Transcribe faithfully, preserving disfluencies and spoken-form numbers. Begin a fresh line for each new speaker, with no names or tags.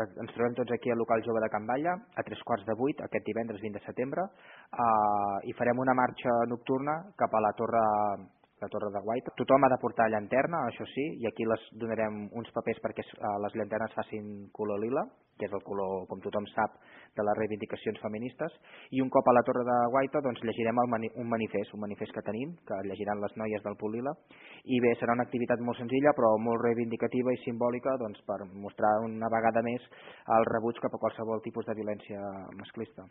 ens trobem tots aquí al local jove de Can Balla a tres quarts de vuit aquest divendres vint de setembre eh, i farem una marxa nocturna cap a la torre la Torre de Guaita. Tothom ha de portar llanterna, això sí, i aquí les donarem uns papers perquè les llanternes facin color lila, que és el color, com tothom sap, de les reivindicacions feministes, i un cop a la Torre de Guaita doncs, llegirem el mani un manifest, un manifest que tenim, que llegiran les noies del Punt Lila, i bé, serà una activitat molt senzilla però molt reivindicativa i simbòlica doncs, per mostrar una vegada més el rebuig cap a qualsevol tipus de violència masclista.